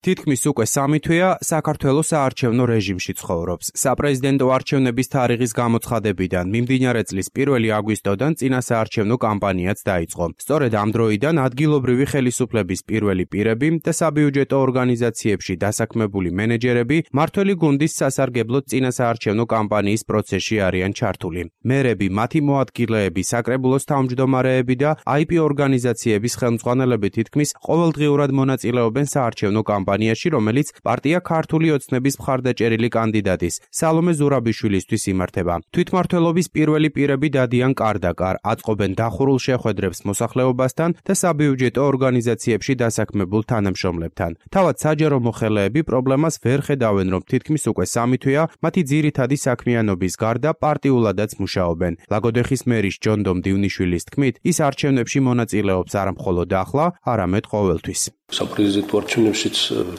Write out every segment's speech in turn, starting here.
თითქმის უკვე 3 თვეა საქართველოს საარჩევნო რეჟიმში ცხოვრობს. საპრეზიდენტო არჩევნების თარიღის გამოცხადებიდან მიმდინარე წლის 1 აგვისტოდან წინა საარჩევნო კამპანიაც დაიწყო. სწორედ ამ დროიდან ადგილობრივი ხელისუფლების პირველი პირები და საბიუჯეტო ორგანიზაციებში დასაქმებული მენეჯერები მართველი გუნდის სასარგებლოდ წინა საარჩევნო კამპანიის პროცესში არიან ჩართული. მერები, მათი მოადგილეები, საკრებულოს თავმჯდომარეები და IP ორგანიზაციების ხელმძღვანელები თითქმის ყოველდღიურად მონაწილეობენ საარჩევნო კამპანიაში, რომელიც პარტია ქართული ოცნების მხარდაჭერილი კანდიდატის სალომე ზურაბიშვილისთვის იმართება. თვითმმართველობის პირველი პირები დადიან კარ-და-კარ, აწყობენ დახურულ შეხვედრებს მოსახლეობასთან და საბიუჯეტო ორგანიზაციებში დასაქმებულ თანამშრომლებთან. თავად საჯარო მოხელეები პრობლემას ვერ ხედავენ, რომ თითქმის უკვე 3 თვეა მათი ძირითადი საქმიანობის გარდა პარტიულადაც მუშაობენ. ლაგოდეხის მერის ჯონდომ დივნიშვილის თქმით, ის არჩევნებში მონაწილეობს არა მხოლოდ ახლა, არამედ ყოველთვის. საპრეზიდენტო არჩევნებშიც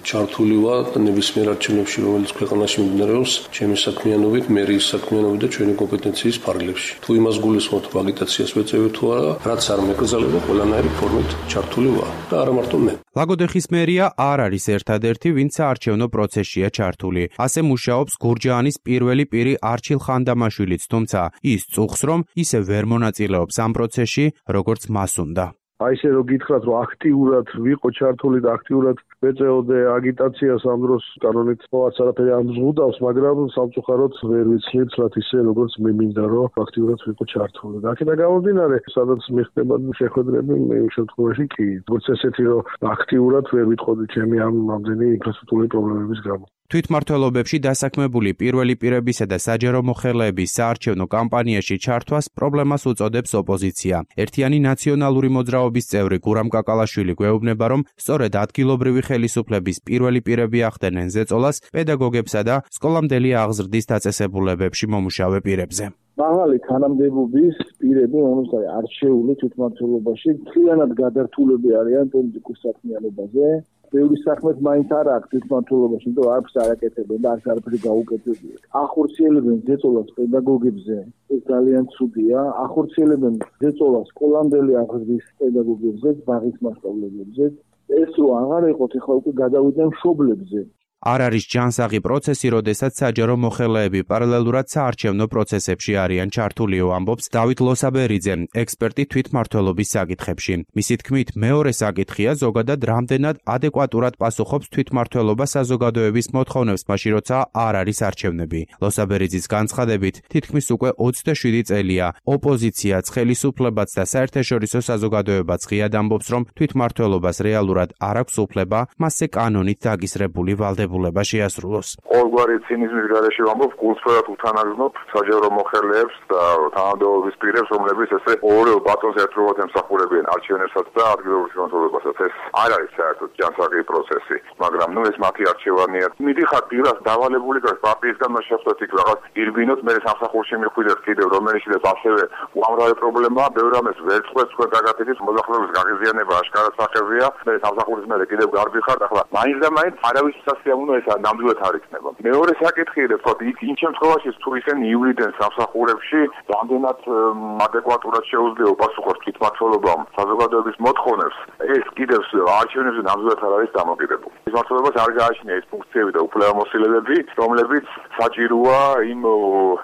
ჩართული ვარ და ნებისმიერ არჩევნებში, რომელიც ქვეყანაში მიმდინარეობს, ჩემი საქმიანობით, მერიის საქმიანობით და ჩვენი კომპეტენციის ფარგლებში. თუ იმას გულისხმობთ, რომ აგიტაციას ვეწევი თუ არა, რაც არ მეკრძალება, ყველანაირი ფორმით ჩართული ვარ და არა მარტო მე. ლაგოდეხის მერია არ არის ერთადერთი, ვინც საარჩევნო პროცესშია ჩართული. ასე მუშაობს გურჯაანის პირველი პირი არჩილ ხანდამაშვილიც, თუმცა ის წუხს, რომ ისე ვერ მონაწილეობს ამ პროცესში, როგორც მას უნდა. აი ესე რომ გითხრათ, რომ აქტიურად ვიყო ჩართული და აქტიურად ვეწეოდე აგიტაციას ამ დროს კანონით მოაც არაფერი არ მზღუდავს, მაგრამ სამწუხაროდ ვერ ვიცხლით ისე როგორც მე მინდა რომ აქტიურად ვიყო ჩართული. და აქედან გამომდინარე, სადაც მიხდება შეხვედრები, მე იმ შემთხვევაში კი, როგორც ესეთი რომ აქტიურად ვერ ვიტყოდი ჩემი ამდენი ინფრასტრუქტურული პრობლემების გამო. თვითმმართველობებში დასაქმებული პირველი პირებისა და საჯარო მოხელეების საარჩევნო კამპანიაში ჩართვას პრობლემას უწოდებს ოპოზიცია. ერთიანი ნაციონალური მოძრაობის წევრი გურამ კაკალაშვილი გვეუბნება, რომ სწორედ ადგილობრივი ხელისუფლების პირველი პირები ახდენენ ზეწოლას პედაგოგებსა და სკოლამდელი აღზრდის დაწესებულებებში მომუშავე პირებზე. მაღალი თანამდებობის პირები, რომელსაც არჩეული თვითმმართველობაში მთლიანად გადართულები არიან პოლიტიკურ საქმიანობაზე. ბევრი საქმეს მაინც არ აქვს თვითმმართველობაში, იმიტომ რომ არც არაკეთებენ და არც არაფერი გაუკეთებია. ახორციელებენ ზეწოლას პედაგოგებზე, ეს ძალიან ცუდია. ახორციელებენ ზეწოლას სკოლამდელი აღზრდის პედაგოგებზე, ბაღის მასწავლებლებზე. ეს რო აღარ იყოთ, ახლა უკვე გადავიდნენ მშობლებზე. არ არის ჯანსაღი პროცესი, როდესაც საჯარო მოხელეები პარალელურად საარჩევნო პროცესებში არიან ჩართულიო, ამბობს დავით ლოსაბერიძე, ექსპერტი თვითმმართველობის საკითხებში. მისი თქმით, მეორე საკითხია ზოგადად რამდენად ადეკვატურად პასუხობს თვითმმართველობა საზოგადოების მოთხოვნებს, მაშინ როცა არ არის არჩევნები. ლოსაბერიძის განცხადებით, თითქმის უკვე 27 წელია ოპოზიციაც, ხელისუფლებაც და საერთაშორისო საზოგადოებაც ღიად ამბობს, რომ თვითმმართველობას რეალურად არ აქვს უფლება, მასზე კანონით დაგისრებული ვალდებულება შეასრულოს. ყოველგვარი ცინიზმის გარეშე ვამბობ, გულწრფელად უთანაგზნობ საჯარო მოხელეებს და თანამდებობის პირებს, რომლებიც ესე ორივე ბატონს ერთდროულად ემსახურებიან არჩევნებსაც და ადგილობრივ თვითმმართველობასაც. ეს არ არის საერთოდ ჯანსაღი პროცესი, მაგრამ ეს მათი არჩევანია. მიდიხარ პირას დავალებული გას პარტიისგან შეხვდეთ იქ რაღაც ირბინოთ, მე სამსახურში მიხვიდეთ კიდევ რომელშიც ასევე უამრავი პრობლემაა, ბევრ რამეს ვერ წყვეტს თქვენ გაგაკეთეთ, მოსახლეობის გაღიზიანება აშკარად სახებია, მე სამსახურის მერე კიდევ გარბიხარ, ახლა მაინც და მაინც არავის უნდა ეს ნამდვილად არ იქნება. მეორე საკითხია, თქო, იმ შემთხვევაში თუ ისინი ივლიდან სამსახურებში რამდენად ადეკვატურად შეუძლია უპასუხოს თვითმმართველობამ საზოგადოების მოთხოვნებს, ეს კიდევ არჩევნებზე ნამდვილად არ არის დამოკიდებული. თვითმმართველობას არ გააჩნია ის ფუნქციები და უფლებამოსილებები, რომლებიც საჭიროა იმ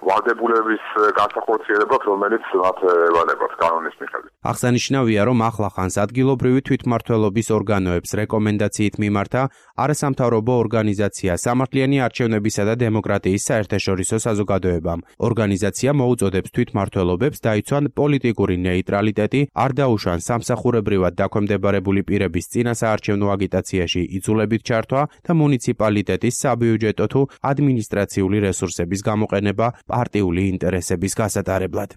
ვალდებულების განსახორციელებად, რომელიც მათ ევალებათ კანონის მიხედვით. აღსანიშნავია, რომ ახლახანს ადგილობრივი თვითმმართველობის ორგანოებს რეკომენდაციით მიმართა არასამთავრობო ორგანიზაცია სამართლიანი არჩევნებისა და დემოკრატიის საერთაშორისო საზოგადოებამ. ორგანიზაცია მოუწოდებს თვითმმართველობებს დაიცვან პოლიტიკური ნეიტრალიტეტი, არ დაუშვან სამსახურებრივად დაქვემდებარებული პირების წინა საარჩევნო აგიტაციაში იძულებით ჩართვა და მუნიციპალიტეტის საბიუჯეტო თუ ადმინისტრაციული რესურსების გამოყენება პარტიული ინტერესების გასატარებლად.